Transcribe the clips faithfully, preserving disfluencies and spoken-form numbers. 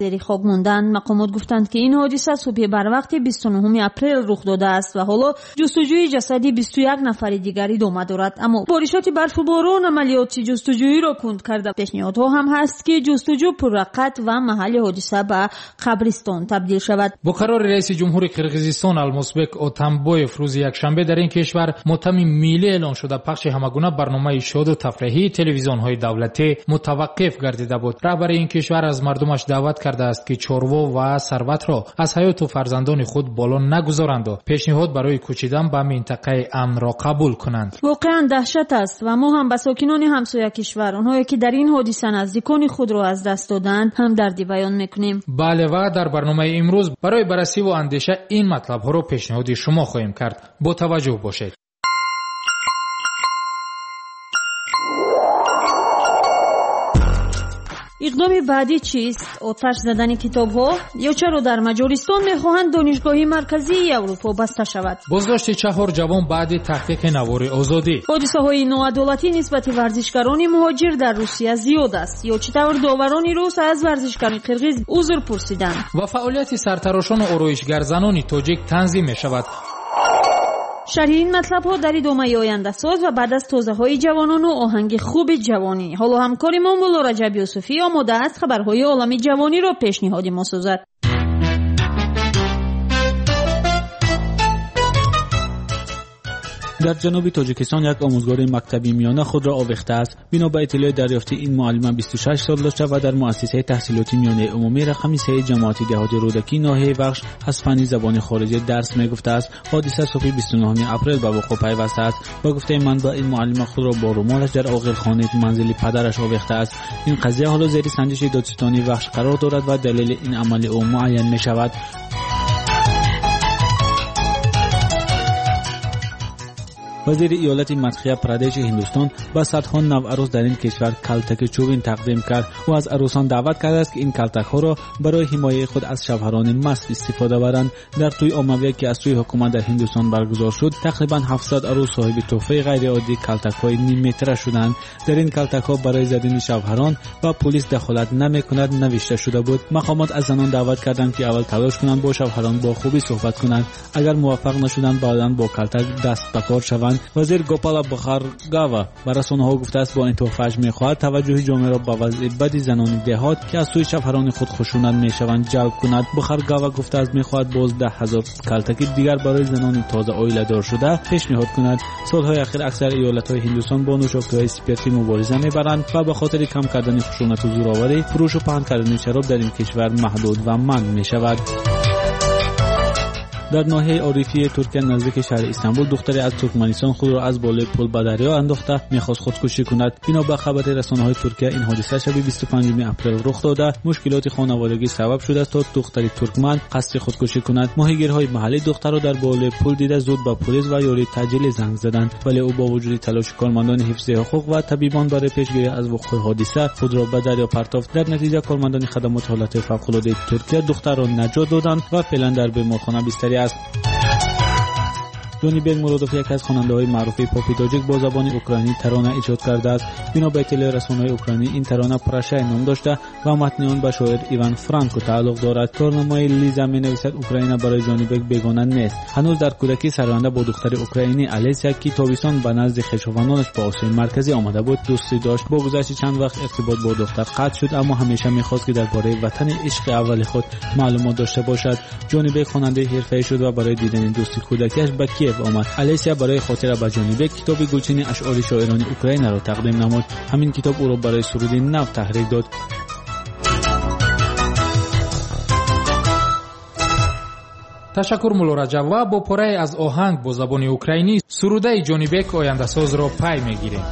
Зери хок монданд. Мақомот гуфтанд, ки ин ҳодиса субҳи барвақти бисту нуҳуми апрел рух додааст ва ҳоло ҷустуҷӯи ҷасади бисту як нафари дигар идома дорад. Аммо боришоти барфу борон амалиёти ҷустуҷӯиро кунд карда. Пешниҳодҳо ҳам ҳаст, ки ҷустуҷӯ пурраққат ва маҳалли ҳодиса ба қабристон табдил шавад. Бо қарори раиси ҷумҳури Қирғизистон Алмосбек Отамбоев рӯзи якшанбе дар ин кишвар мотами миллӣ эълон шуда, пахши ҳамагуна барномаи шоду тафриҳии телевизионҳои давлатӣ мутаваққиф гардида буд. Раҳбари ин кишвар аз мардумаш даъват кардааст, ки чорво ва сарватро аз ҳаёту фарзандони худ боло нагузоранду пешниҳод барои кӯчидан ба минтақаи амнро қабул кунанд. Воқеан даҳшат аст ва мо ҳам ба сокинони ҳамсоя кишвар, онҳое ки дар ин ҳодиса наздикони худро аз даст доданд, ҳамдардӣ баён мекунем. Бале, ва дар барномаи имрӯз барои баррасиву андеша ин матлабҳоро пешниҳоди шумо хоҳем кард. Бо таваҷҷӯҳ бошед. Иқдоми баъдӣ чист? Оташ задани китобҳо? Ё чаро дар Маҷористон мехоҳанд донишгоҳи марказии Аврупо баста шавад? Боздошти чаҳор ҷавон баъди таҳқиқи навори озодӣ. Ҳодисаҳои ноадолатӣ нисбати варзишгарони муҳоҷир дар Русия зиёд аст. Ё чӣ тавр доварони рус аз варзишгарони қирғиз узр пурсиданд? Ва фаъолияти сартарошону ороишгарзанони тоҷик танзим мешавад. Шарҳи ин матлабҳо дар идомаи ояндасоз ва баъд аз тозаҳои ҷавонону оҳанги хуби ҷавонӣ. Ҳоло ҳамкори мо Мулло Раҷаб Юсуфӣ омода аст хабарҳои олами ҷавониро пешниҳоди мо созад. Дар ҷануби Тоҷикистон як омӯзгори мактаби миёна худро овехтааст. Бино ба иттилои дарёфтӣ, ин муаллима бисту шаш сол дошта ва дар муассисаи таҳсилоти миёнаи умумӣ рақами сеи ҷамоати деҳоти Рӯдакӣ ноҳияи Вахш аз фанни забони хориҷӣ дарс мегуфтааст. Ҳодиса субҳи бисту нуҳуми апрел ба вуқӯъ пайвастааст. Ба гуфтаи манбаъ, ин муаллима худро бо румолаш дар оғилхонаи манзили падараш овехтааст. Ин қазия ҳоло зери санҷиши додситонии Вахш қарор дорад ва далели ин амали ӯ муайян мешавад. Вазири иёлати Мадхия Прадеши Ҳиндустон ба садҳо навъарӯс дар ин кишвар калтаки чӯбин тақдим кард. Ӯ аз арӯсон даъват кардааст, ки ин калтакҳоро барои ҳимояи худ аз шавҳарони маст истифода баранд. Дар тӯи оммавие, ки аз сӯи ҳукумат дар Ҳиндустон баргузор шуд, тақрибан ҳафтсад арӯс соҳиби тӯҳфаи ғайриоддии калтакҳои нимметра шуданд. Дар ин калтакҳо барои задани шавҳарон ва пулис дахолат намекунад навишта шуда буд. Мақомот аз занон даъват карданд, ки аввал талош кунанд бо шавҳарон бо хубӣ суҳбат кунанд. Агар муваффақ нашуданд, баъдан бо калтак даст ба кор шаванд. Вазир Гопала Бхаргава ба расонаҳо гуфтааст, бо ин тӯҳфааш мехоҳад таваҷҷӯҳи ҷомеаро ба вазъи бади занони деҳот, ки аз сӯи шавҳарони худ хушунат мешаванд, ҷалб кунад. Бхаргава гуфтааст, мехоҳад боз даҳ ҳазор калтаки дигар барои занони тоза оиладор шуда пешниҳод кунад. Солҳои ахир аксар иёлатҳои Ҳиндустон бо нӯшокиҳои спиртӣ мубориза мебаранд ва ба хотири кам кардани хушунату зӯроварӣ, фурӯшу паҳн кардани шароб дар ин кишвар маҳдуд ва манъ мешавад. Дар ноҳияи Орифии Туркия наздики шаҳри Истанбул духтаре аз Туркманистон худро аз болои пул ба дарё андохта мехост худкушӣ кунад. Бино ба хабари расонаҳои Туркия, ин ҳодиса шаби бисту панҷуми апрел рух дода, мушкилоти хонаводагӣ сабаб шудааст, то духтари туркман қасди худкушӣ кунад. Моҳигирҳои маҳаллӣ духтарро дар болои пул дида зуд ба полис ва ёрии таъҷилӣ занг заданд, вале ӯ бо вуҷуди талоши кормандони ҳифзи ҳуқуқ ва табибон барои пешгирӣ аз вуқӯи ҳодиса худро ба дарё партофт. Дар натиҷа кормандони хадамоти ҳолатҳои фавқулодаи Туркия духтарро наҷот доданд ва феълан дар беморхона бистарӣ аст. Ҷонибек Муродов, яке аз хонандаҳои маъруфи попи тоҷик, бо забони украинӣ тарона эҷод кардааст. Бино ба иттилои расонаҳои украинӣ, ин тарона Прощай ном дошта ва матни он ба шоир Иван Франко тааллуқ дорад. Корномаи Лиза менависад, Украина барои Ҷонибек бегона нест. Ҳанӯз дар кӯдакӣ сароянда бо духтари украинӣ Алесия, ки тобистон ба назди хешовандонаш ба Осиёи Марказӣ омада буд, дӯстӣ дошт. Бо гузашти чанд вақт иртибот бо духтар қатъ шуд, аммо ҳамеша мехост, ки дар бораи ватани ишқи аввали худ маълумот дошта бошад. Ҷонибек хонандаи ҳирфаӣ шуд ва барои дидани дӯсти кӯдакиаш ба Киев омад. Алесия барои хотира ба Ҷонибек китоби гулчини ашъори шоирони Украинаро тақдим намуд. Ҳамин китоб ӯро барои суруди нав таҳрик дод. Ташаккур, Мулло Раҷаб. Ва бо порае аз оҳанг бо забони украинӣ сурудаи Ҷонибек ояндасозро пай мегирем.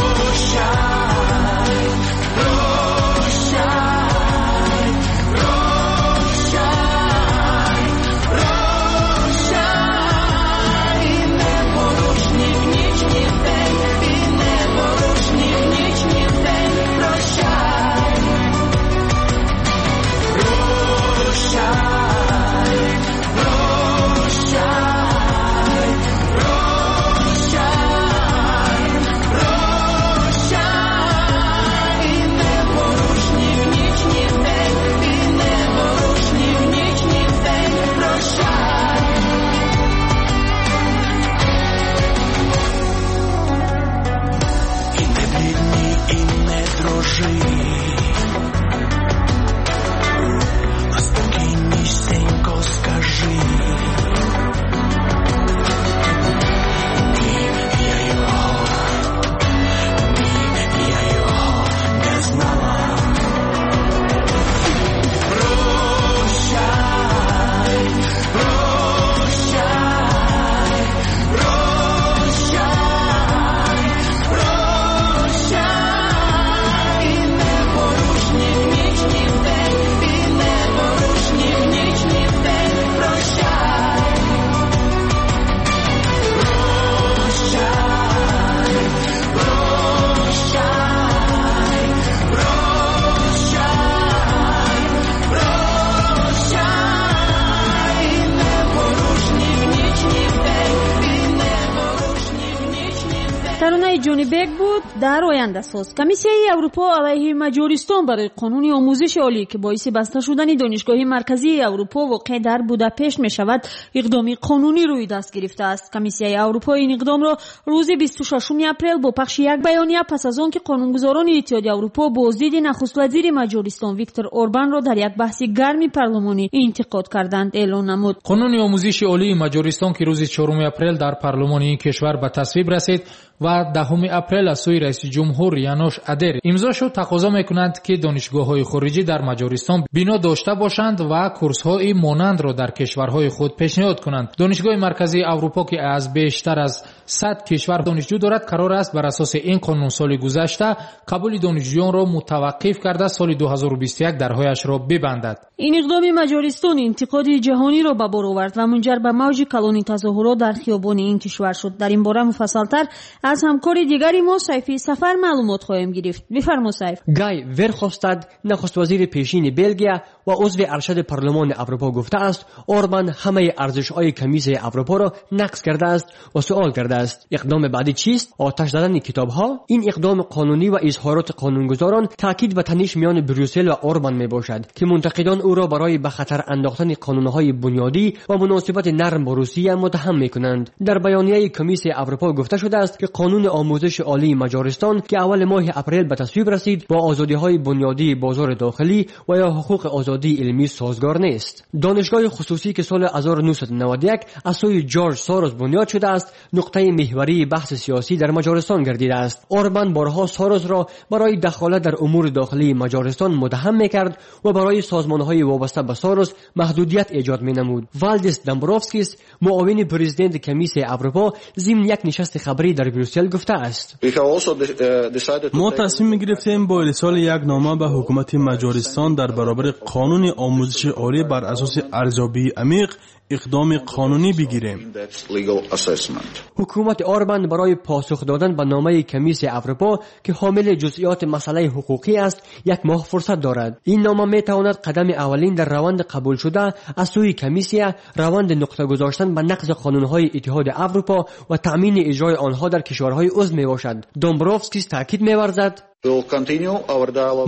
Прощай, прощай, прощай, не порушник ніч ні. Таронаи Ҷонибек буд дар ояндасоз. Комиссияи Аврупо алайҳи Маҷористон барои қонуни омӯзиши олӣ, ки боиси баста шудани Донишгоҳи Марказии Аврупо воқеъ дар Будапешт мешавад, иқдоми қонунӣ рӯи даст гирифтааст. Комиссияи Аврупо ин иқдомро рӯзи бисту шашуми апрел бо пахши як баёния пас аз он ки қонунгузорони Иттиҳоди Аврупо боздиди нахуствазири Маҷористон Виктор Орбанро дар як баҳси гарми парлумонӣ интиқод карданд, эълон намуд. Қонуни омӯзиши олии Маҷористон, ки рӯзи чоруми апрел дар парлумони ин кишвар ба тасвиб расид ва даҳуми апрел аз сӯи раиси ҷумҳур Янош Адер имзо шуд, тақозо мекунанд, ки донишгоҳҳои хориҷӣ дар Маҷористон бино дошта бошанд ва курсҳои монандро дар кишварҳои худ пешниҳод кунанд. Донишгоҳи Марказии Аврупо, ки аз бештар аз сад кишвар донишҷӯ дорад, қарор аст бар асоси ин қонун соли гузашта қабули донишҷӯёнро мутаваққиф карда соли ду ҳазору бисту як дарҳояшро бибандад. Ин иқдоми Маҷористон интиқоди ҷаҳониро ба бор овард ва мунҷар ба мавҷи калони тазоҳурот дар хиёбони ин кишвар шуд. Дар ин бора муфассалтар аз ҳамкори дигари мо Сайфи Сафар маълумот хоҳем гирифт. Бифармо, Сайф. Гай Верхофстад, нахуствазири пешини Белгия ва узви аршади парлумони Аврупо, гуфтааст, Орбан ҳамаи арзишҳои Комиссияи Аврупоро нақз кардааст ва суол кардааст: иқдоми баъдӣ чист? Оташ задани китобҳо? Ин иқдоми қонунӣ ва изҳороти қонунгузорон таъкид ба таниш миёни Брюссел ва Орбан мебошад, ки мунтақидон ӯро барои ба хатар андохтани қонунҳои бунёдӣ ва муносибати нарм бо Русия муттаҳам мекунанд. Дар баёнияи Комиссияи Аврупо гуфта шудааст, ки қонуни омӯзиши олии Маҷористон, ки аввали моҳи апрел ба тасвиб расид, бо озодиҳои бунёдии бозори дохилӣ ва ё ҳуқуқи озодии илмӣ созгор нест. Донишгоҳи хусусӣ, ки соли ҳазору нӯҳсаду наваду як аз сӯи Ҷорҷ Сорос бунёд шудааст, нуқтаи меҳварии баҳси сиёсӣ дар Маҷористон гардидааст. Орбан борҳо Соросро барои дахолат дар умури дохилии Маҷористон муттаҳам мекард ва барои созмонҳои вобаста ба Сорос маҳдудият эҷод менамуд. Валдис Домбровскис, муовини президенти Комиссияи Аврупо, зимни як нишасти хабарӣ дар Брюссел гуфтааст: мо тасмим гирифтем бо ирсоли як нома ба ҳукумати Маҷористон дар баробари қонуни омӯзиши олӣ бар асоси арзёбии амиқ иқдоми қонунӣ бигирем. Ҳукумати Орбан барои посух додан ба номаи Комиссияи Аврупо, ки ҳомили ҷузъиёти масъалаи ҳуқуқӣ аст, як моҳ фурсат дорад. Ин нома метавонад қадами аввалин дар раванди қабулшуда аз сӯи комиссия, раванди нуқта гузоштан ба нақзи қонунҳои Иттиҳоди Аврупо ва таъмини иҷрои онҳо дар кишварҳои узв мебошад. Домбровскис таъкид меварзад: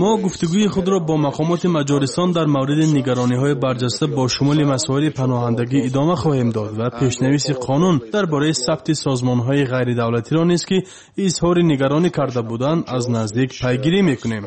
мо гуфтугӯи худро бо мақомоти Маҷористон дар мавриди нигарониҳои барҷаста бо шумули масоили паноҳандагӣ идома хоҳем дод ва пешнависи қонун дар бораи сабти созмонҳои ғайридавлатиро низ, ки изҳори нигаронӣ карда буданд, аз наздик пайгирӣ мекунем.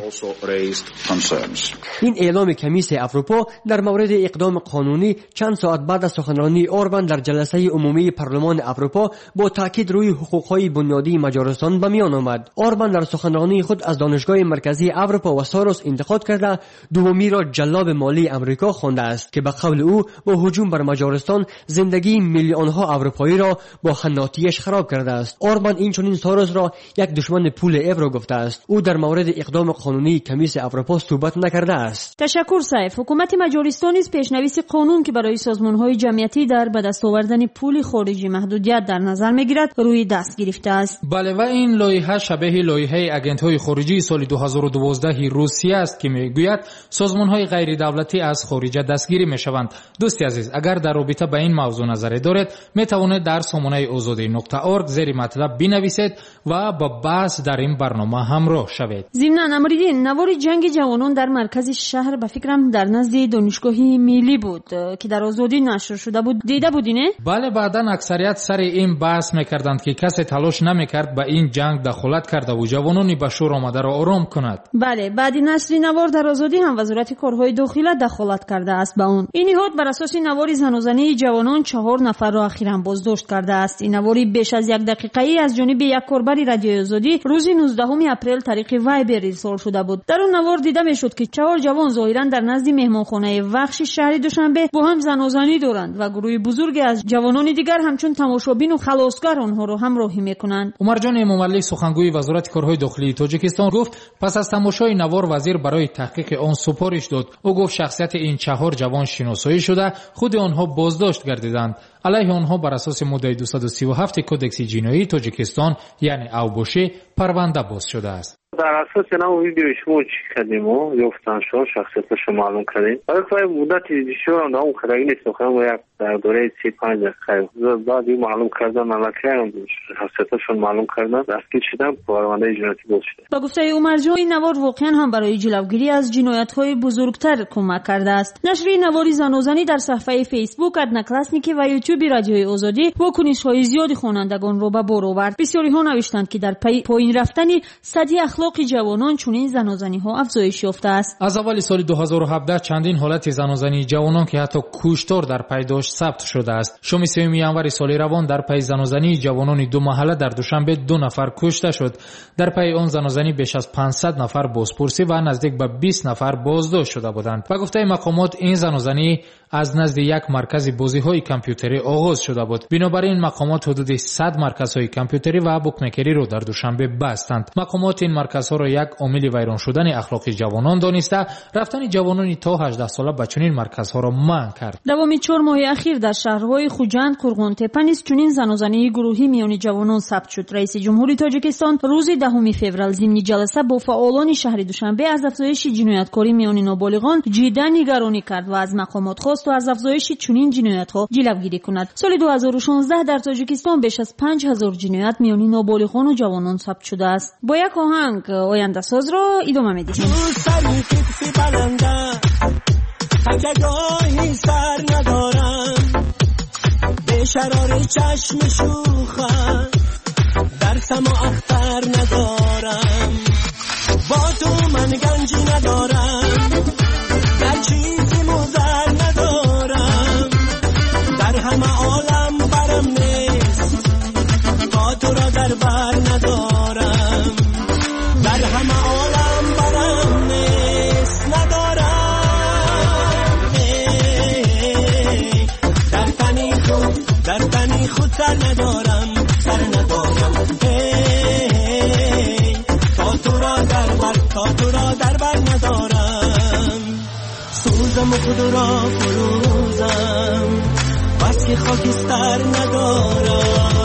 Ин эъломи Комиссияи Аврупо дар мавриди иқдоми қонунӣ чанд соат баъд аз суханронии Орбан дар ҷаласаи умумии парлумони Аврупо бо таъкид рӯи ҳуқуқҳои бунёдии Маҷористон ба миён омад. Орбан дар суханронии худ аз Донишгоҳи Марказии Аврупо ва Сорос интиқод карда, дуввумиро ҷаллоби молии Амрико хондааст, ки ба қавли ӯ бо ҳуҷум бар Маҷористон зиндагии миллионҳо аврупоиро бо ҳаннотиаш хароб кардааст. Орбан инчунин Соросро як душмани пули евро гуфтааст. Ӯ дар мавриди иқдоми қонунии Комиссияи Аврупо суҳбат накардааст. Ташаккур, Сайф. Ҳукумати Маҷористон низ пешнависи қонун, ки барои созмонҳои ҷамъиятӣ дар ба даст овардани пули хориҷӣ маҳдудият дар назар мегирад, рӯи даст гирифтааст. Бале, ва ин лоиҳа шабеҳи лоиҳаи агентҳои хориҷӣ соли ду ҳазору дувоздаҳи Русия аст, ки мегӯяд созмонҳои ғайридавлатӣ аз хориҷа дастгирӣ мешаванд. Дӯсти азиз, агар дар робита ба ин мавзӯъ назаре доред, метавонед дар сомонаи озодӣ нуқта орг зери матлаб бинависед ва ба баҳс дар ин барнома ҳамроҳ шавед. Зимнан, Амриддин, навори ҷанги ҷавонон дар маркази шаҳр, ба фикрам дар назди Донишгоҳи Миллӣ буд, ки дар Озодӣ нашр шуда буд, дида будӣ, не? Бале, баъдан аксарият сари ин баҳс мекарданд, ки касе талош намекард ба ин ҷанг дахолат кардаву ҷавонони ба шӯр омадаро ором кунад. Бале, баъди нашри навор дар Озодӣ ҳам Вазорати корҳои дохила дахолат кардааст ба он. Ин ниҳод бар асоси навори занозании ҷавонон чаҳор нафарро ахиран боздошт кардааст. Ин навори беш аз як дақиқаӣ аз ҷониби як корбари Радиои Озодӣ рӯзи нуздаҳуми апрел тариқи Вайбер ирсол шуда буд. Дар он навор дида мешуд, ки чаҳор ҷавон зоҳиран дар назди меҳмонхонаи Вахши шаҳри Душанбе бо ҳам занозанӣ доранд ва гурӯҳи бузурге аз ҷавонони дигар ҳамчун тамошобину халосгар онҳоро ҳамроҳӣ мекунанд. Умарҷон Эмомалӣ, сухангӯи Вазорати корҳои дохилии Тоҷикистон, гуфт пас аз тамошои навор вазир барои таҳқиқи он супориш дод. Ӯ гуфт шахсияти ин чаҳор ҷавон шиносоӣ шуда, худи онҳо боздошт гардиданд. Алайҳи онҳо бар асоси моддаи дусаду сию ҳафти Кодекси ҷиноии Тоҷикистон, яъне авбошӣ, парванда боз шудааст. Дар асоси ҳамон видеои шумо чӣ кардем, ёфтан шумо шахсияташро маълум кардем. Барои муддати бисёрам давом кардаги нест, як дар доираи се панҷ дақиқа баъд ӯ маълум кардан, аллакай шахсияташон маълум кардан, дастгир шудан, парвандаи ҷиноятӣ боз шуда. Ба гуфтаи Умарҷон, ин навор воқеан ҳам барои ҷилавгирӣ аз ҷиноятҳои бузургтар кӯмак кардааст. Нашри навори занозанӣ дар саҳифаи Фейсбук, Одноклассники ва Ютюби Радиои Озодӣ вокунишҳои зиёди хонандагонро ба бор овард. Бисёриҳо навиштанд, ки дар пайи поин рафтани сатҳи ахлоқи ҷавонон чунин занозаниҳо афзоиш ёфтааст. Аз аввали соли ду ҳазору ҳабдаҳ чандин ҳолати занозании ҷавонон, ки ҳатто куштор дар пай дошт, сабт шудааст. Шоми сеюми январи соли равон дар пайи занозании ҷавонони ду маҳалла дар Душанбе ду нафар кушта шуд. Дар пайи он занозанӣ беш аз панҷсад нафар бозпурсӣ ва наздик ба бист нафар боздошт шуда буданд. Ба гуфтаи мақомот, ин занозанӣ аз назди як маркази бозиҳои компютерӣ оғоз шуда буд. Бинобар ин мақомот ҳудуди сад марказҳои компютерӣ ва букмекериро дар Душанбе бастанд. Мақомот ин марказҳоро як омили вайрон шудани ахлоқи ҷавонон дониста, рафтани ҷавонони то ҳаждаҳ сола ба чунин марказҳоро манъ кард. Давоми чор моҳи ахир дар шаҳрҳои Хуҷанд, Қурғонтеппа низ чунин занозании гурӯҳӣ миёни ҷавонон сабт шуд. Раиси ҷумҳури Тоҷикистон рӯзи даҳуми феврал зимни ҷаласа бо фаъолони шаҳри Душанбе аз афзоиши ҷинояткорӣ миёни ноболиғон ҷиддан нигаронӣ кард ва аз мақомот хост то аз афзоиши чунин ҷиноятҳо ҷилавгирӣ кунад. Соли ду ҳазору шонздаҳ дар Тоҷикистон беш аз панҷ ҳазор ҷиноят миёни ноболиғону ҷавонон сабт шудааст. Бо як оҳанг ояндасозро идома медиҳем. تکگاهی سر ندارم، به شرار چشم شوخم در سما اختر ندارم، با تو من گنجی ندارم، در چیزی مضر ندارم، در همه عالم برم نیست، با تو را در بر ندارم، در همه عالم برم نیست ندارم، در تنی خود سر ندارم، سر ندارم، ای تا تو را در بر، تا تو را در بر ندارم، سوزم و خود را فروزم، بس که خاکستر ندارم،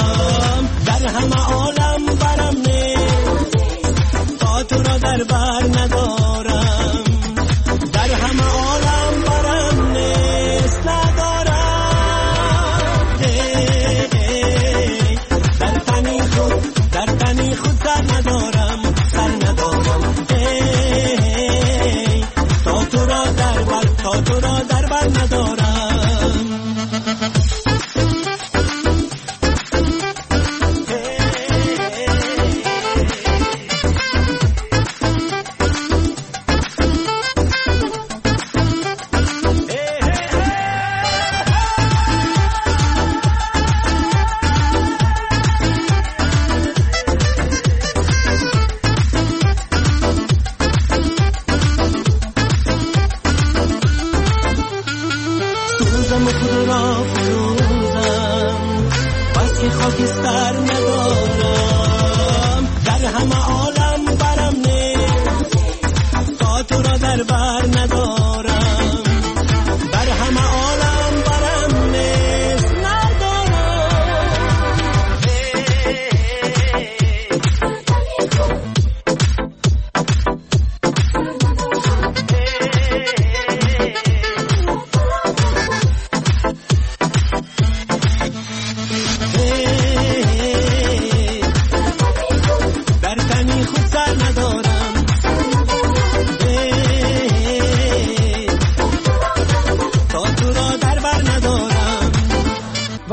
در همه عالم برم نیست، تا تو را در بر ندارم، در همه عالم برم نیست ندارم، در تنی خود، در تنی خود سر ندارم، سر ندارم، ای تا تو را در بر، تا تو را در بر ندارم. خاکستر ندارم، در همه عالم برم نیست، تا تو را در بر ندارم، در همه عالم برم نیست ندارم.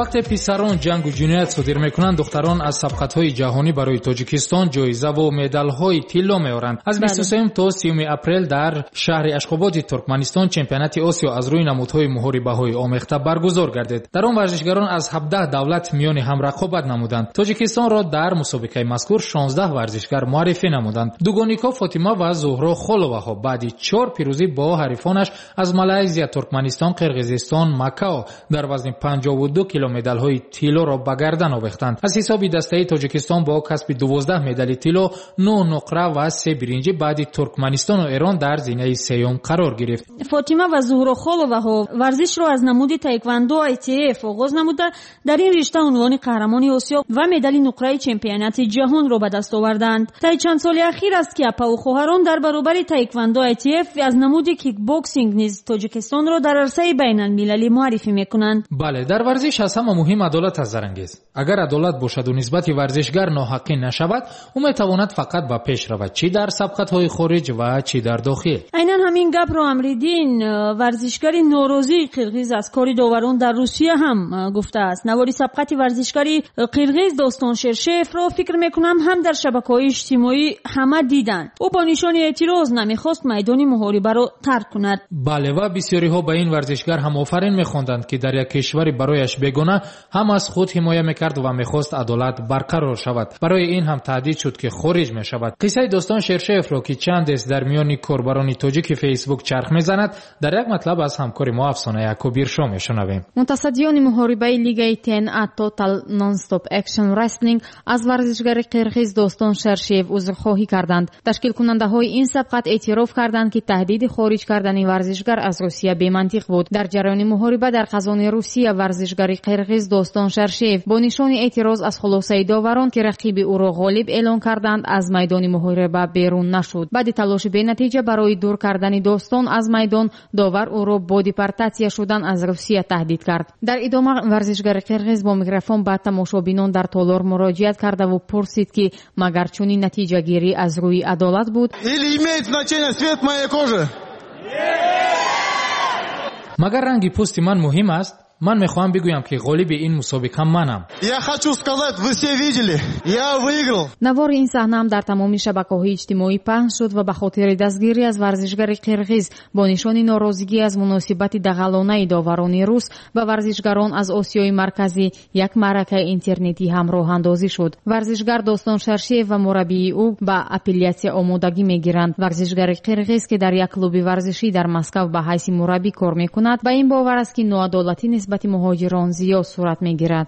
Вақте писарон ҷангу ҷиноят содир мекунанд, духтарон аз сабқатҳои ҷаҳонӣ барои Тоҷикистон ҷоизаву медалҳои тилло меоранд. Аз бисту сеюм то сиюми апрел дар шаҳри Ашхободи Туркманистон чемпионати Осиё аз рӯи намудҳои муҳорибаҳои омехта баргузор гардид. Дар он варзишгарон аз ҳабдаҳ давлат миёни ҳам рақобат намуданд. Тоҷикистонро дар мусобиқаи мазкур шонздаҳ варзишгар муаррифӣ намуданд. Дугоникҳо Фотима ва Зуҳро Холоваҳо баъди чор пирӯзӣ бо ҳарифонаш аз Малайзия, Туркманистон, Қирғизистон, Макао дар вазни панҷоҳу ду километр медалҳои тиллоро ба гардан овехтанд. Аз ҳисоби дастаи Тоҷикистон бо касби дувоздаҳ медали тилло, нӯҳ нуқра ва се биринҷӣ баъди Туркманистону Эрон дар зинаи сеюм қарор гирифт. Фотима ва Зуҳро Холоваҳо варзишро аз намуди таеквондо ай ти эф оғоз намуда, дар ин ришта унвони қаҳрамони Осиё ва медали нуқраи чемпионати ҷаҳонро ба даст оварданд. Таи чанд соли ахир аст, ки апаву хоҳарон дар баробари таеквондо ай ти эф аз намуди кикбоксинг низ Тоҷикистонро дар арсаи байналмилалӣ муаррифӣ мекунанд. Бале, дар варзиш аз ҳама муҳим адолат аст, Зарангез. Агар адолат бошаду нисбати варзишгар ноҳаққӣ нашавад, ӯ метавонад фақат ба пеш равад, чӣ дар сабқатҳои хориҷ ва чӣ дар дохил. Айнан ҳамин гапро Амриддин, варзишгари норозии қирғиз аз кори доварон дар Русия ҳам гуфтааст. Навори сабқати варзишгари қирғиз Достон Шершеевро фикр мекунам ҳам дар шабакаҳои иҷтимоӣ ҳама диданд. Ӯ бо нишони эътироз намехост майдони муҳорибаро тарк кунад. Бале, ва бисёриҳо ба ин варзишгар ҳам офарин мехонданд, ки дар як кишвари барояш бегона ҳам аз худ ҳимоя мекард ва мехост адолат барқарор шавад. Барои ин ҳам таҳдид шуд, ки хориҷ мешавад. Қиссаи Достон Шершеевро, ки чандест дар миёни корбарони тоҷики Фейсбук чарх мезанад, дар як матлаб аз ҳамкори мо Афсона Якубиршо мешунавем. Мутасаддиёни муҳорибаи лигаи Т Н А Total Non-Stop Action Wrestling аз варзишгари қирғиз Достон Шершеев узрхоҳӣ карданд. Ташкилкунандаҳои ин сабқат эътироф карданд, ки таҳдиди хориҷ кардани варзишгар аз Русия бемантиқ буд. Дар ҷараёни муҳориба дар қазони Русия варзишгари қирғиз Достон Шершеев бо нишони эътироз аз хулосаи доварон, ки рақиби ӯро ғолиб эълон карданд, аз майдони муҳориба берун нашуд. Баъди талоши бенатиҷа барои дур кардани Достон аз майдон, довар ӯро бо депортатсия шудан аз Русия таҳдид кард. Дар идома варзишгари қирғиз бо микрофон ба тамошобинон дар толор муроҷиат кардаву пурсид, ки магар чунин натиҷагирӣ аз рӯи адолат буд? Или имеет значение цвет моей кожи? Магар ранги пӯсти ман муҳим аст? Ман мехоҳам бигӯям, ки ғолиби ин мусобиқа манам. Я хочу сказать, вы все видели, я выиграл. Навори ин саҳнаам дар тамоми шабакаҳои иҷтимоӣ паҳн шуд ва ба хотири дастгирӣ аз варзишгари қирғиз бо нишони норозигӣ аз муносибати дағалонаи доварони рус ба варзишгарон аз Осиёи Марказӣ як маъракаи интернетӣ ҳам роҳандозӣ шуд. Варзишгар Достон Шершеев ва мураббии ӯ ба апеллятсия омодагӣ мегиранд. Варзишгари қирғиз, ки дар як клуби варзишӣ дар Москав ба ҳайси мураббӣ кор мекунад, ба ин бовар аст, ки ноадолатӣ нисбати муҳоҷирон зиёд сурат мегирад.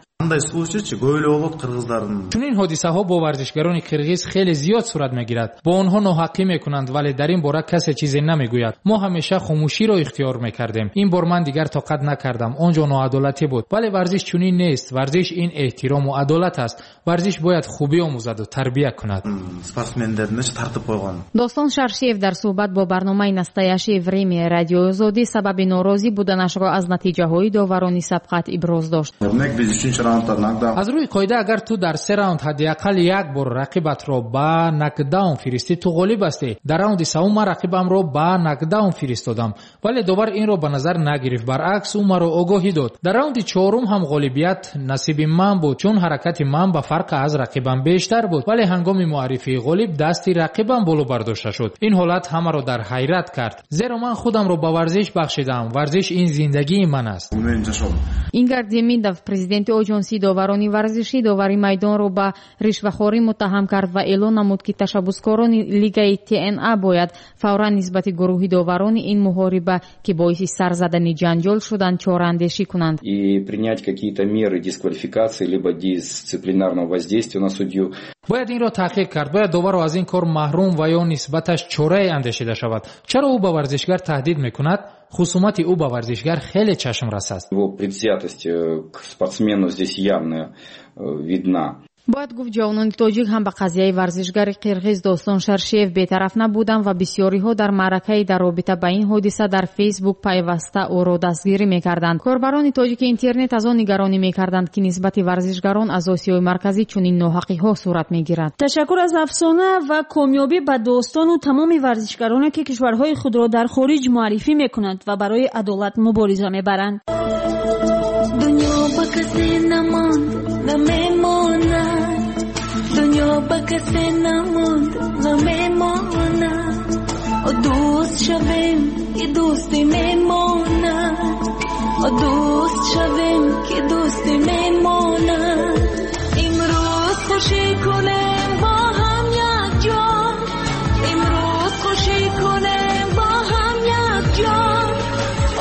Чунин ҳодисаҳо бо варзишгарони қирғиз хеле зиёд сурат мегирад. Бо онҳо ноҳаққӣ мекунанд, вале дар ин бора касе чизе намегӯяд. Мо ҳамеша хомӯширо ихтиёр мекардем. Ин бор ман дигар тоқат накардам. Он ҷо ноадолатӣ буд. Вале варзиш чунин нест. Варзиш ин эҳтирому адолат аст. Варзиш бояд хубӣ омӯзаду тарбия кунад. Достон Шершеев дар суҳбат бо барномаи Настоящее время радиои Озодӣ сабаби норозӣ буданашро аз натиҷаҳои доварони сабқат иброз дошт. Аз рӯи қоида, агар ту дар се раунд ҳадди ақал як бор рақибатро ба нокдаун фиристӣ, ту ғолиб ҳастӣ. Дар раунди севум ман рақибамро ба нокдаун фиристодам, вале довар инро ба назар нагирифт. Баръакс, ӯ маро огоҳӣ дод. Дар раунди чорум ҳам ғолибият насиби ман буд, чун ҳаракати ман ба фарқ аз рақибам бештар буд. Вале ҳангоми муаррифии ғолиб дасти рақибам боло бардошта шуд. Ин ҳолат ҳамаро дар ҳайрат кард, зеро ман худамро ба варзиш бахшидаам. Варзиш ин зиндагии ман аст. Ингар Демидов, президенти оҷонсии доварони варзишӣ, довари майдонро ба ришвахорӣ муттаҳам кард ва эълон намуд, ки ташаббускорони лигаи Т Н А бояд фавран нисбати гурӯҳи доварони ин муҳориба, ки боиси сар задани ҷанҷол шуданд, чораандешӣ кунанд. И принять какие-то меры дисквалификации либо дисциплинарного воздействия на судью. Бояд инро таҳқиқ кард. Бояд доварро аз ин кор маҳрум ва ё нисбаташ чорае андешида шавад. Чаро ӯ ба варзишгар таҳдид мекунад? Хусумати ӯ ба варзишгар хеле чашмрас аст. Его предвзятость к спортсмену здесь явно видна. Бояд гуфт, ҷавонони тоҷик ҳам ба қазияи варзишгари қирғиз Достон Шершеев бетараф набуданд ва бисёриҳо дар маъракаи дар робита ба ин ҳодиса дар Фейсбук пайваста ӯро дастгирӣ мекарданд. Корбарони тоҷики интернет аз он нигаронӣ мекарданд, ки нисбати варзишгарон аз Осиёи Марказӣ чунин ноҳақиҳо сурат мегирад. Ташаккур аз Афсона ва комёбӣ ба Достону тамоми варзишгароне, ки кишварҳои худро дар хориҷ муаррифӣ мекунанд ва барои адолат мубориза мебаранд. Дунё ба касе намонд, намемонад. Дунё ба касе намонд, намемонад. Дӯст шавем, ки дӯсти мемонад. Дӯст шавем, ки дӯсти мемонад. Имрӯз хушӣ кунем бо ҳам якҷо. Имрӯз хушӣ кунем бо ҳам якҷо.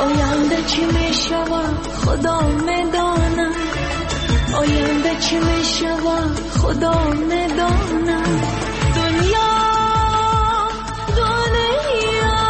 Оянда чӣ мешавад, Худо медонад. خدا میداند. دنیا دنیا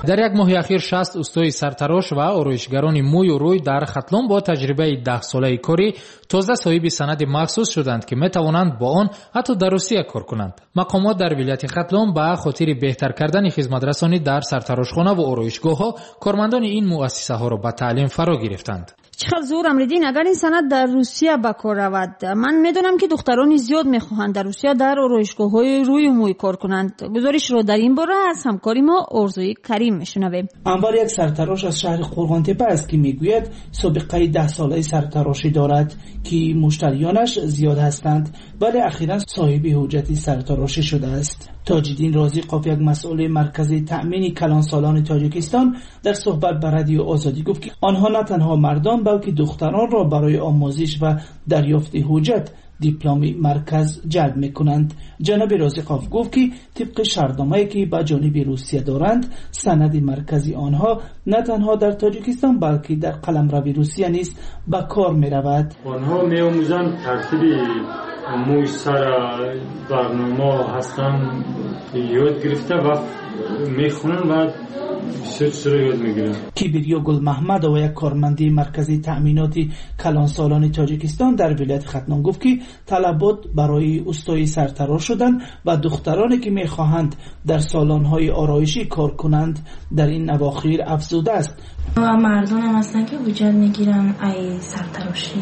Дар як моҳи ахир шаст устои сартарош ва ороишгарони мӯю рӯй дар Хатлон бо таҷрибаи даҳсолаи корӣ тоза соҳиби санади махсус шуданд, ки метавонанд бо он ҳатто дар Русия кор кунанд. Мақомот дар вилояти Хатлон ба хотири беҳтар кардани хизматрасонӣ дар сартарошхона ва ороишгоҳҳо кормандони ин муассисаҳоро ба таълим фаро гирифтанд. Чӣ хел зур, Амриддин, агар ин санад дар Русия ба кор равад. Ман медонам, ки духтарони зиёд мехоҳанд дар Русия дар ороишгоҳҳои рӯю мӯй кор кунанд. Гузоришро дар ин бора аз ҳамкори мо Орзуи Карим мешунавем. Анвар як сартарош аз шаҳри Қурғонтепа аст, ки мегӯяд собиқаи даҳсолаи сартарошӣ дорад, ки муштариёнаш зиёд ҳастанд, вале ахиран соҳиби ҳуҷҷати сартарошӣ шудааст. Тоҷиддин Розиқов, як масъули маркази таъмини калонсолони Тоҷикистон, дар суҳбат ба Радио Озодӣ гуфт, ки онҳо на танҳо мардон, балки духтаронро барои омӯзиш ва дарёфти ҳуҷҷат дипломи марказ ҷалб мекунанд. Ҷаноби Розиқов гуфт, ки тибқи шартномае, ки ба ҷониби Русия доранд, санади маркази онҳо на танҳо дар Тоҷикистон, балки дар қаламрави Русия низ ба кор меравад. Онҳо меомӯзанд тартиби мӯй сар, барнома ҳастанд, ёд гирифта ва мехонанд ва бисёр чизро ёд мегиранд. Кибирё Гулмаҳмадова, як корманди маркази таъминоти калонсолони Тоҷикистон дар вилояти Хатлон, гуфт, ки талабот барои устои сартарош шудан ва духтароне, ки мехоҳанд дар салонҳои ороишӣ кор кунанд, дар ин авохир афзудааст. Ва мардонам ҳастанд, ки ҳуҷҷат мегиранд ай сартарошӣ.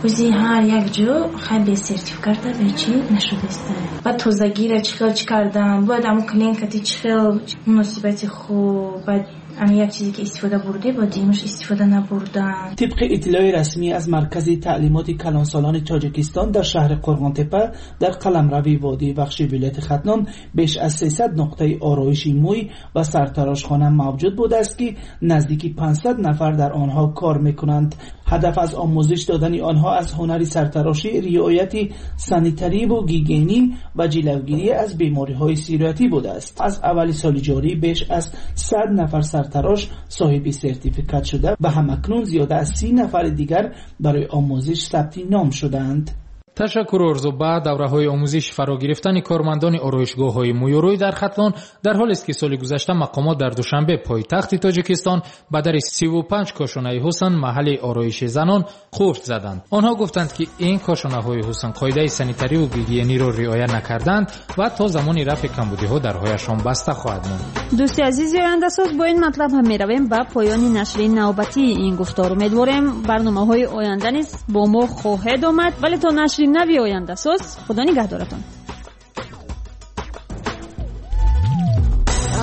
Ози ҳар як ҷо хай бе сертификата бе чӣ нашудааст. Баъд тозагира чӣ хел чӣ кардан, бояд ҳамун клиенткати чӣ хел муносибати хуб, баъд ами як чизе ки истифода бурде, бо димаш истифода набурдан. Тибқи иттилои расмӣ аз маркази таълимоти калонсолони Тоҷикистон дар шаҳри Қурғонтепа дар қаламрави водии Вахши вилояти Хатлон беш аз сесад нуқтаи ороиши мӯй ва сартарошхона мавҷуд будааст, ки наздики панҷсад нафар дар онҳо кор мекунанд. Ҳадаф аз омӯзиш додани онҳо аз ҳунари сартарошӣ, риояти санитариву гигиенӣ ва ҷилавгирӣ аз бемориҳои сироятӣ будааст. Аз аввали соли ҷорӣ беш аз сад нафар сартарош соҳиби сертификат шуда ва ҳамакнун зиёда аз си нафари дигар барои омӯзиш сабти ном шудаанд. Ташаккур, Орзу. Ба давраҳои омӯзиш фаро гирифтани кормандони ороишгоҳҳои мӯюрӯй дар Хатлон дар ҳолест, ки соли гузашта мақомот дар Душанбе, пойтахти Тоҷикистон, ба дари сиву панҷ кошонаи ҳусн, маҳалли ороиши занон, қуфт заданд. Онҳо гуфтанд, ки ин кошонаҳои ҳусн қоидаи санитариву гигиениро риоя накарданд ва то замони рафъи камбудиҳо дарҳояшон баста хоҳад монд. Дӯсти азизи ояндасоз, бо ин матлаб ҳам меравем ба поёни нашри навбатии ин гуфтор. Умедворем барномаҳои оянда низ бо мо хоҳед омад, вале то нашри нави ояндасоз худо нигаҳдоратон.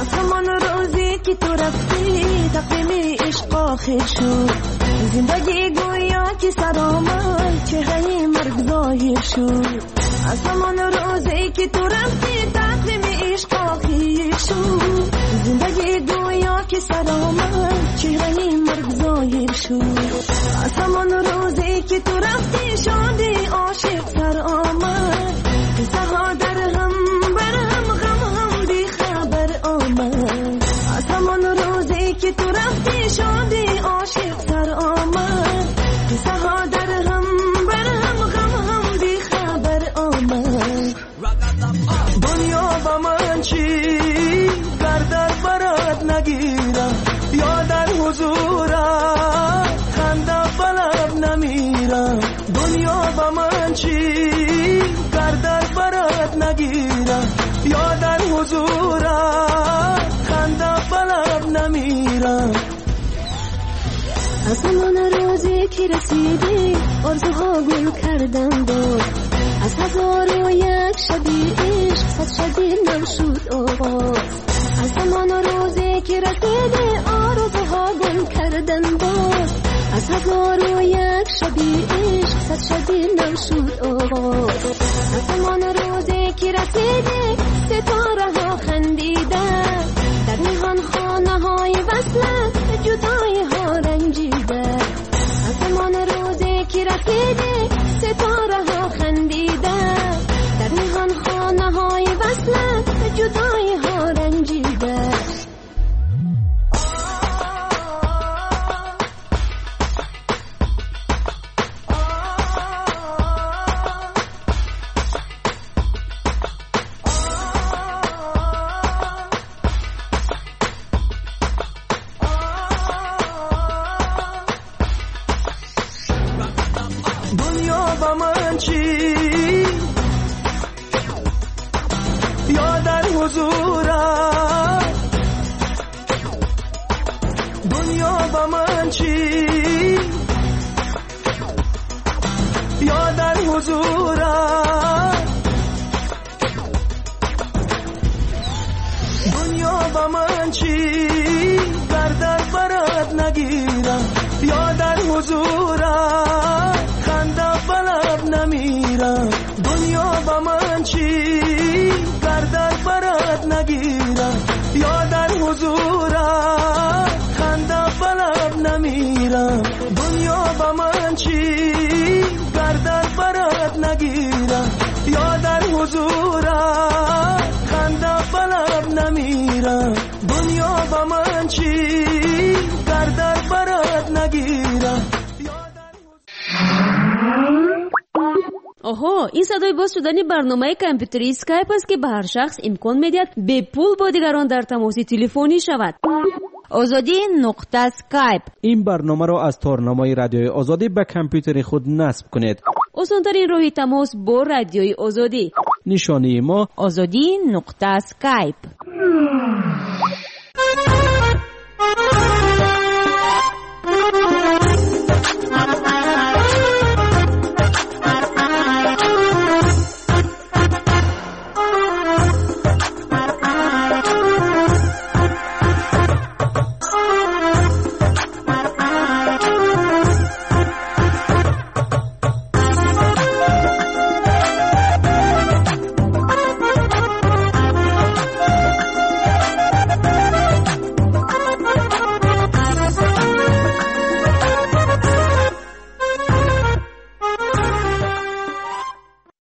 Аз ҳамон рӯзе ки ту рафтӣ, тақвими ишқ охир шуд. زندگی گویا که سرآمد چهره مرگ ظاهر شد از همان روزی که تو رفتی تقویم عشق آخر شد زندگی گویا که سرآمد چهره مرگ ظاهر شد از همان روزی که تو رفتی شادی عاشق سر آمد قصه ها در هم بر هم غم هم بی خبر آمد از همان روزی که تو رفتی شادی عاشق سر آمد قصه ها در هم بر هم غم هم بی خبر آمد دنیا با من چی گر در برات نگیرم یا در حضورت خنده بلب نمیرم دنیا با من چی گر در برات نگیرم یا در حضورت خنده بلب نمیرم از همان روزی که رسیدی آرزوها گل کردم باز از هزار و یک شبی عشق صد شبی نو شد آغاز از همان روزی که رسیدی آرزوها گل کردم باز از هزار و یک شبی عشق صد شبی نو شد آغاز از همان روزی که رسیدی ستاره ها خندیده در نهان خانه های وصلت جدایی ها رنجیده از همان روزی که رسیدی ستاره ها خندیده در نهان خانه های وصلت جدایی ها رنجیده Оҳо, ин садои боз шудани барномаи компютерии Skype аст, ки ба ҳар шахс имкон медиҳад бепул бо дигарон дар тамоси телефонӣ шавад. Озодӣ нуқта Skype. Ин барномаро аз торнамои радиои Озодӣ ба компютери худ насб кунед. Осонтарин роҳи тамос бо радиои Озодӣ. Нишонии мо Озодӣ нуқта Skype.